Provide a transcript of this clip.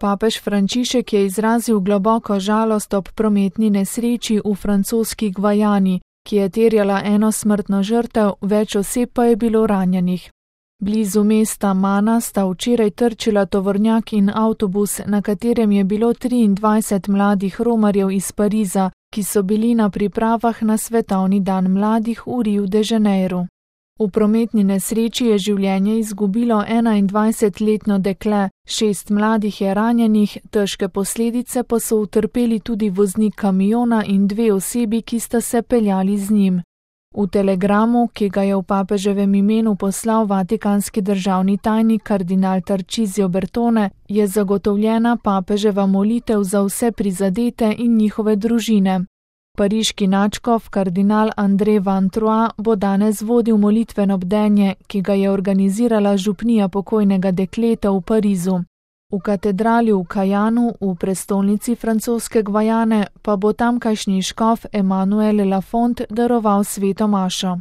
Papež Frančišek je izrazil globoko žalost ob prometni nesreči v francoski Gvajani, ki je terjala eno smrtno žrtev, več oseb pa je bilo ranjenih. Blizu mesta Mana sta včeraj trčila tovornjak in avtobus, na katerem je bilo 23 mladih romarjev iz Pariza, ki so bili na pripravah na svetovni dan mladih v Rio de Janeiro. V prometni nesreči je življenje izgubilo 21-letno dekle, 6 mladih je ranjenih, težke posledice pa so utrpeli tudi voznik kamiona in 2 osebi, ki sta se peljali z njim. V telegramu, ki ga je v papeževem imenu poslal vatikanski državni tajnik kardinal Tarcisio Bertone, je zagotovljena papeževa molitev za vse prizadete in njihove družine. Pariški nadškof kardinal André Van Trois bo danes vodil molitveno bdenje, ki ga je organizirala župnija pokojnega dekleta v Parizu. V katedrali v Cayanu, v prestolnici francoske Gvajane, pa bo tamkajšnji škof Emmanuel Lafont daroval sveto mašo.